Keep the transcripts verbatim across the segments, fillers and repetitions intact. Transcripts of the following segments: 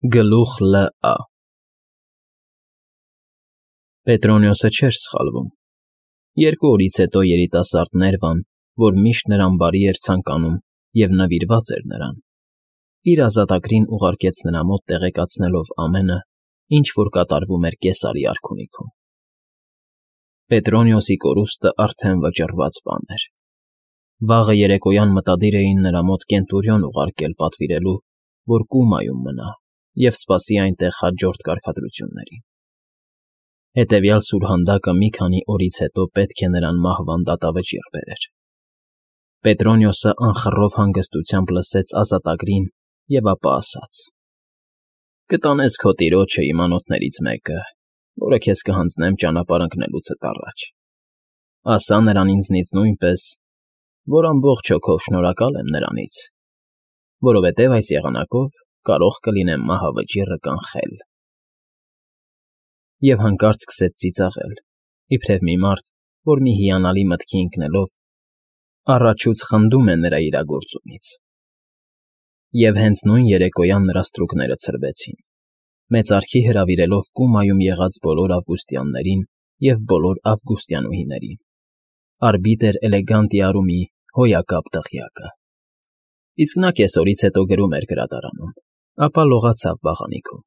Գլուխ Լ.Ա. Պետրոնիոսը չէր սխալվում. երկու օրից հետո երիտասարդ Ներվան, որ միշտ նրան բարի էր ցանկանում և նվիրված էր նրան, իր ազատագրին ուղարկեց նրա մոտ տեղեկացնելով ամենը, ինչ որ կատարվում էր Կեսարի արքունիքում. Պետրոնիոսի կորուստը արդեն վճռված բան էր. վաղը երեկոյան մտադիր էին նրա մոտ կենտուրիոն ուղարկել պատվիրելու, որ Կումայում մնա և սպասի այնտեղ հաջորդ կարգադրություններին. հետևյալ սուրհանդակը մի քանի օրից հետո պետք է նրան մահվան դատավճիռ բերեր. Պետրոնիոսը անխռով հանգստությամբ լսեց ազատագրին և ապա ասաց. «Կտանես քո տիրոջը իմ անոթներից մեկը, որը քեզ կհանձնեմ ճանապարհ ընկնելուցդ առաջ. ասա նրան ինձնից նույնպես, որ ամբողջ հոգով շնորհակալ եմ նրանից, որովհետև այս եղանակով կարող կլինեմ մահավճիռը կանխել»։ Եվ հանկարծ սկսեց ծիծաղել, իբրև մի մարդ, որ մի հիանալի մտքի ընկնելով, առաջուց խնդում է նրա իրագործումից։ Եվ հենց նույն երեկոյան նրա ստրուկները ցրվեցին, մեծարքի հրավիրելով Կումայում եղած բոլոր ավգուստյաններին և բոլոր ավգուստյանուհիներին, արբիտր Էլեգանտիարումի հոյակապ դղյակը։ Իսկ նա կեսօրից հետո գրում էր գրադարանում, ապա լողացավ վաղանիքում։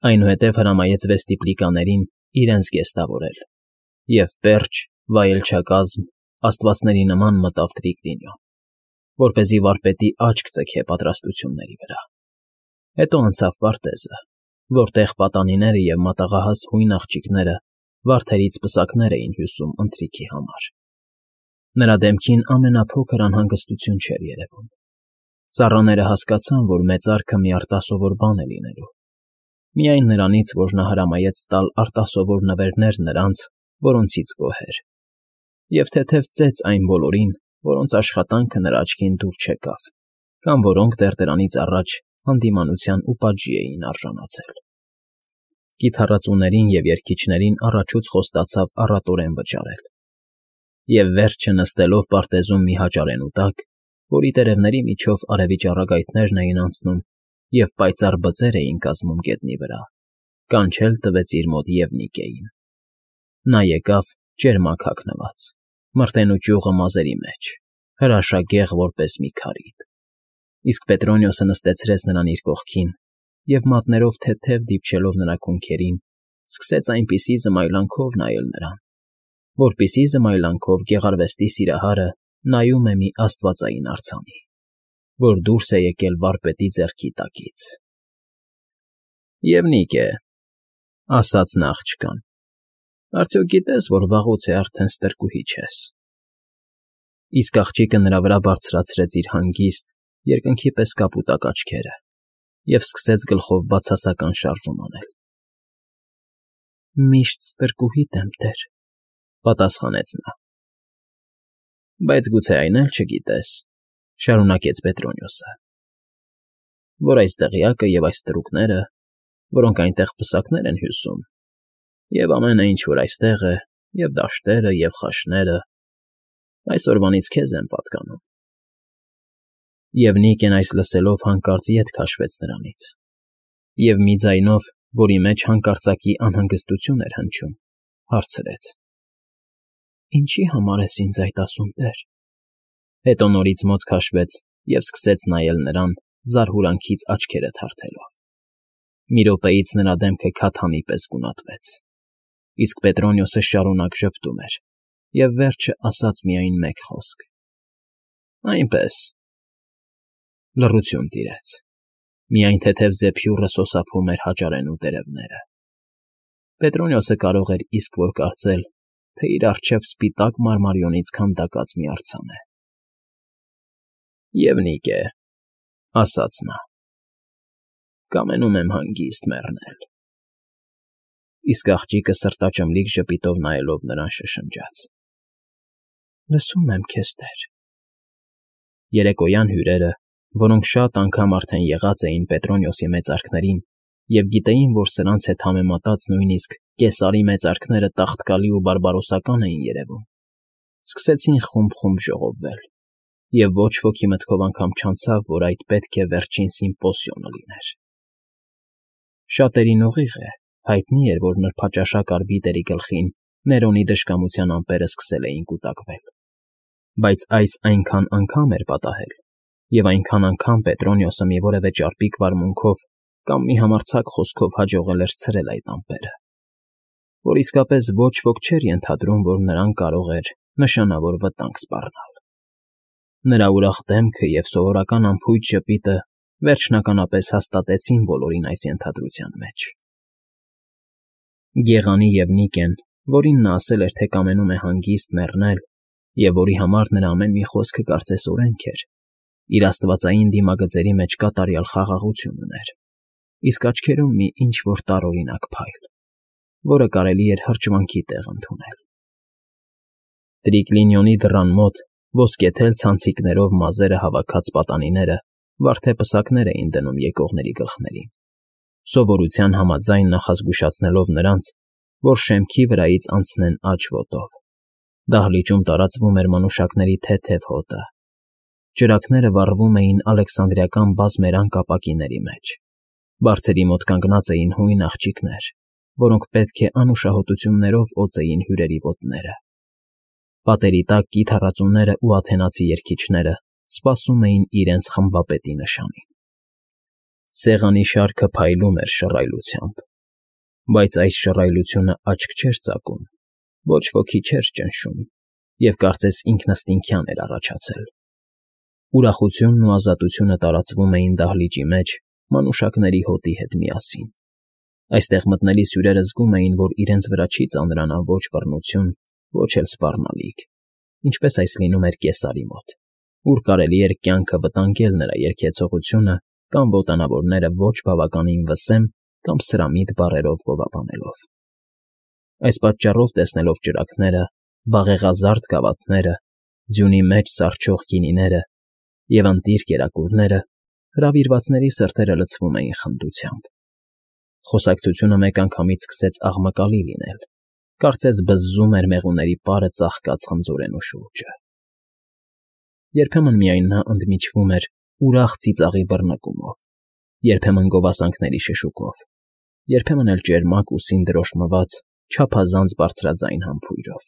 Այնուհետև հրամայեց վեստիպլիկաներին իրենց գեստավորել և պերճ, վայելչակազմ, աստվածների նման մտավ Տրիկլինիո, որպեսզի վարպետի աչք ձգե պատրաստությունների վրա։ Հետո անցավ պարտեզը, որտեղ պատանիները և մատաղահաս հույն աղջիկները վարդերից պսակներ էին հյուսում ընթրիքի համար։ Նրա դեմքին ամենափոքր անհանգստություն չէր երևում։ Ծառաները հասկացան, որ մեծարքը մի արտասովոր բան է լինելու, միայն նրանից, որ նա հրամայեց տալ արտասովոր նվերներ նրանց, որոնցից գոհ էր, և թեթև ծեծ այն բոլորին, որոնց աշխատանքը նրա աչքին դուր չեկավ կամ որոնք դեռ դրանից առաջ հանդիմանության ու պատժի էին արժանացել։ Կիթառածուներին և երգիչներին առաջուց խոստացավ առատորեն վճարել, և վերջը նստելով պարտեզում մի հաճարենու տակ, որի տերևների միջով արևի ճառագայթներն էին անցնում և պայծառ բծեր էին կազմում գետնի վրա, կանչել տվեց իր մոտ Եվնիկեին։ Նա եկավ ճերմակ հագնված, մրտե ճյուղը մազերի մեջ, հրաշագեղ որպես մի քարիդ, իսկ Պետրոնիոսը նստեցրեց նրան իր կողքին և մատներով թեթև դիպչելով նրա քունքերին, սկսեց այնպիսի զմայլանքով նայել նրան, որպիսի զմայլանքով գեղարվեստի սիրահարը նայում է մի աստվածային արձանի, որ դուրս է եկել վարպետի ձեռքի տակից։ ֊ Եվնիկե,֊ ասաց նա աղջկան,֊ արդյոք գիտես, որ վաղուց է արդեն ստրկուհի չես։ Իսկ աղջիկը նրա վրա բարձրացրեց իր հանգիստ, երկնքի պես կապուտակ աչքերը և սկսեց գլխով բացասական շարժում անել։ ֊ Միշտ ստրկուհիդ եմ, տեր,֊ պատասխանեց նա։ ֊ Բայց գուցե այն էլ չգիտես,֊ շարունակեց Պետրոնիոսը,֊ որ այս դղյակը և այս ստրուկները, որոնք այնտեղ պսակներ են հյուսում, և ամենը, ինչ որ այստեղ է, և դաշտերը, և խաշները, այսօրվանից քեզ են պատկանում։ Եվնիկեն այս լսելով հանկարծ ետ քաշվեց նրանից և մի ձայնով, որի մեջ հանկարծակի անհանգստություն էր հնչում, հարցրեց. «Ինչի համար ես ինձ այդ ասում, տեր»։ Հետո նորից մոտ քաշվեց և սկսեց նայել նրան, զարհուրանքից աչքերը թարթելով։ Մի րոպեից նրա դեմքը քաթանի պես գունատվեց, իսկ Պետրոնիոսը շարունակ ժպտում էր և վերջը ասաց միայն մեկ խոսք. «Այնպես»։ Լռություն տիրեց, միայն թեթև զեփյուռը սոսափում էր հաճարենու տերևները։ Պետրոնիոսը կարող էր իսկ որ կարծել, թե իր առջև սպիտակ մարմարիոնից քանդակած մի արձան է։ ֊ Եվնիկե,֊ ասաց նա,֊ կամենում եմ հանգիստ մեռնել։ Իսկ աղջիկը սրտաճմլիկ ժպիտով նայելով նրան շշնջաց. «Լսում եմ քեզ, տեր»։ Երեկոյան հյուրերը, որոնք շատ անգամ արդեն եղած էին Պետրոնիոսի մեծարքներին և գիտեին, որ սրանց հետ համեմատած նույնիսկ Կեսարի մեծարքները տաղտկալի ու բարբարոսական էին երևում, սկսեցին խումբ֊խումբ ժողովվել, և ոչ ոքի մտքով անգամ չանցավ, որ այդ պետք է վերջին սիմպոսիոնը լիներ։ Շատերին ուղիղ է, հայտնի էր, որ նրբաճաշակ արբիտրի գլխին Ներոնի դժկամության ամպերը սկսել էին կուտակվել, բայց այս այնքան անգամ էր պատահել, և այնքան անգամ Պետրոնիոսը մի որևէ ճարպիկ վարմունքով կամ մի համարձակ խոսքով հաջողել էր ցրել այդ ամպերը, որ իսկապես ոչ ոք չէր ենթադրում, որ նրան կարող էր նշանավոր վտանգ սպառնալ։ Նրա ուրախ դեմքը և սովորական անփույթ ժպիտը վերջնականապես հաստատեցին բոլորին այս ենթադրության մեջ։ Գեղանի և Նիկեն, որին նա ասել էր, թե կամենում է հանգիստ մեռնել, և որի համար նրա ամեն մի խոսքը կարծես օրենք էր, իր աստվածային դիմագծերի մեջ կատարյալ խաղաղություն ուներ, իսկ աչքերում մի ինչ֊որ տարօրինակ փայլ, որը կարելի էր հրճվանքի տեղ ընդունել։ Տրիկլինիոնի դռան մոտ ոսկեթել ցանցիկներով մազերը հավաքած պատանիները վարդեպսակներ էին դնում եկողների գլխներին, սովորության համաձայն նախազգուշացնելով նրանց, որ շեմքի վրայից անցնեն աջ ոտով։ Դահլիճում տարածվում էր մանուշակների թեթև հոտը։ Ճրագները վառվում էին ալեքսանդրիական բազմերանգ ապակիների մեջ։ Բարձերի մոտ կանգնած էին հույն աղջիկներ, որոնք պետք է անուշահոտություններով օծեին հյուրերի ոտները։ Պատերի տակ կիթառածուներն ու աթենացի երգիչները սպասում էին իրենց խմբապետի նշանին։ Սեղանի շարքը փայլում էր շռայլությամբ, բայց այս շռայլությունը աչք չէր ծակում, ոչ ոքի չէր ճնշում և կարծես ինքնըստինքյան էր առաջացել։ Ուրախությունն ու ազատությունը տարածվում էին դահլիճի մեջ մանուշակների հոտի հետ միասին։ Այստեղ մտնելիս հյուրերը զգում էին, որ իրենց վրա չի ծանրանա ոչ բռնություն, ոչ էլ սպառնալիք, ինչպես այս լինում էր կեսարի մոտ, ուր կարելի էր կյանքը վտանգել նրա երգեցողությունը կամ ոտանավորները ոչ բավականին վսեմ կամ սրամիտ բառերով գովաբանելով։ Այս պատճառով, տեսնելով ճրագները, վաղեղազարդ գավաթները, ձյունի մեջ սառչող գինիները և ընտիր կերակուրները, հրավիրվածների սրտերը լցվում էին խնդությամբ։ Խոսակցությունը մեկ անգամից սկսեց աղմկալի լինել, կարծես բզզում էր մեղուների պարը ծաղկած խնձորենու շուրջը։ Երբեմն միայն նա ընդմիջվում էր ուրախ ծիծաղի բռնկումով, երբեմն գովասանքների շշուկով, երբեմն էլ ճերմակ ուսին դրոշմված չափազանց բարձրաձայն համբույրով։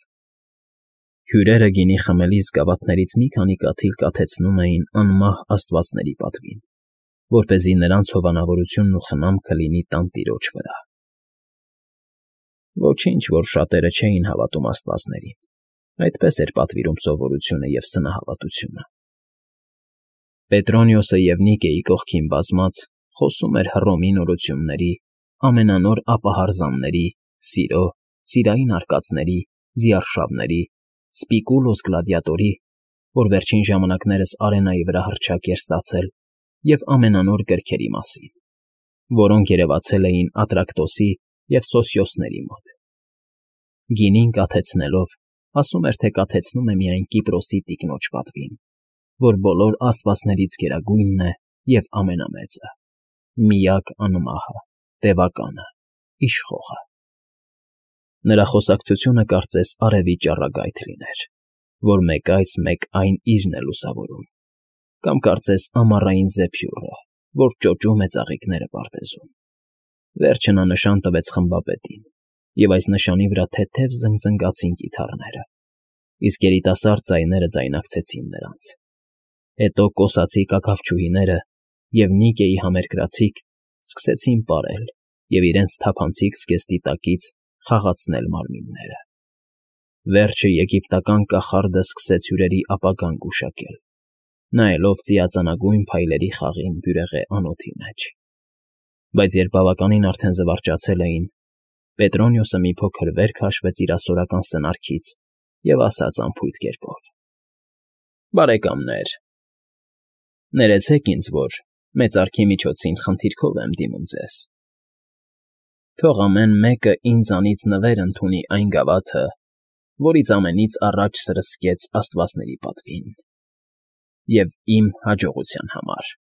Հյուրերը գինի խմելիս գավաթներից մի քանի կաթիլ կաթեցնում էին անմահ աստվածների պատվին, որպեսզի նրանց հովանավորությունն ու խնամքը լինի տանտիրոջ վրա։ Ոչինչ, որ շատերը չէին հավատում աստվածներին, այդպես էր պատվիրում սովորությունը և սնահավատությունը։ Պետրոնիոսը և Նիկեի կողքին բազմած խոսում էր Հռոմի նորությունների, ամենանոր ապահարզանների, սիրո, սիրային արկածների, ձիարշավների, Սպիկուլոս Գլադիատորի, որ վերջին ժամանակներս արենայի վրա հռչակ էր ստացել, և ամենանոր գրքերի մասին, որոնք երևացել էին Ատրակտոսի և Սոսիոսների մոտ։ Գինին կաթեցնելով, ասում էր, թե կաթեցնում է միայն Կիպրոսի տիկնոջ պատվին, որ բոլոր աստվածներից գերագույնն է և ամենամեծը, միակ անմահը, տևականը, իշխողը։ Նրա խոսակցությունը կարծես արևի ճառագայթ լիներ, որ մեկ այս, մեկ այն իրն է լուսավորում, կամ կարծես ամառային զեփյուռը, որ ճոճում է ծաղիկները պարտեզում։ Վերջը նա նշան տվեց խմբապետին, և այս նշանի վրա թեթև զնգզնգացին կիթառները, իսկ երիտասարդ ձայները ձայնակցեցին նրանց։ Հետո կոսացի կաքավչուհիները և Նիկեի համերկրացիք սկսեցին պարել և իրենց թափանցիկ զգեստի տակից խաղացնել մարմինները։ Վերջը եգիպտական կախարդը սկսեց հյուրերի ապագան գուշակել, նայելով ծիածանագույն փայլերի խաղին բյուրեղե անոթի մեջ։ Բայց երբ բավականին արդեն զվարճացել էին, Պետրոնիոսը մի փոքր վեր քաշվեց իր ասորական սնարքից և ասաց անփույթ կերպով. «Բարեկամներ, ներեցեք ինձ, որ մեծարքի միջոցին խնդիրքով եմ դիմում ձեզ. թող ամեն մեկը ինձանից նվեր ընդունի այն գավաթը, որից ամենից առաջ սրսկեց աստվածների պատվին, և իմ հաջողության համար»։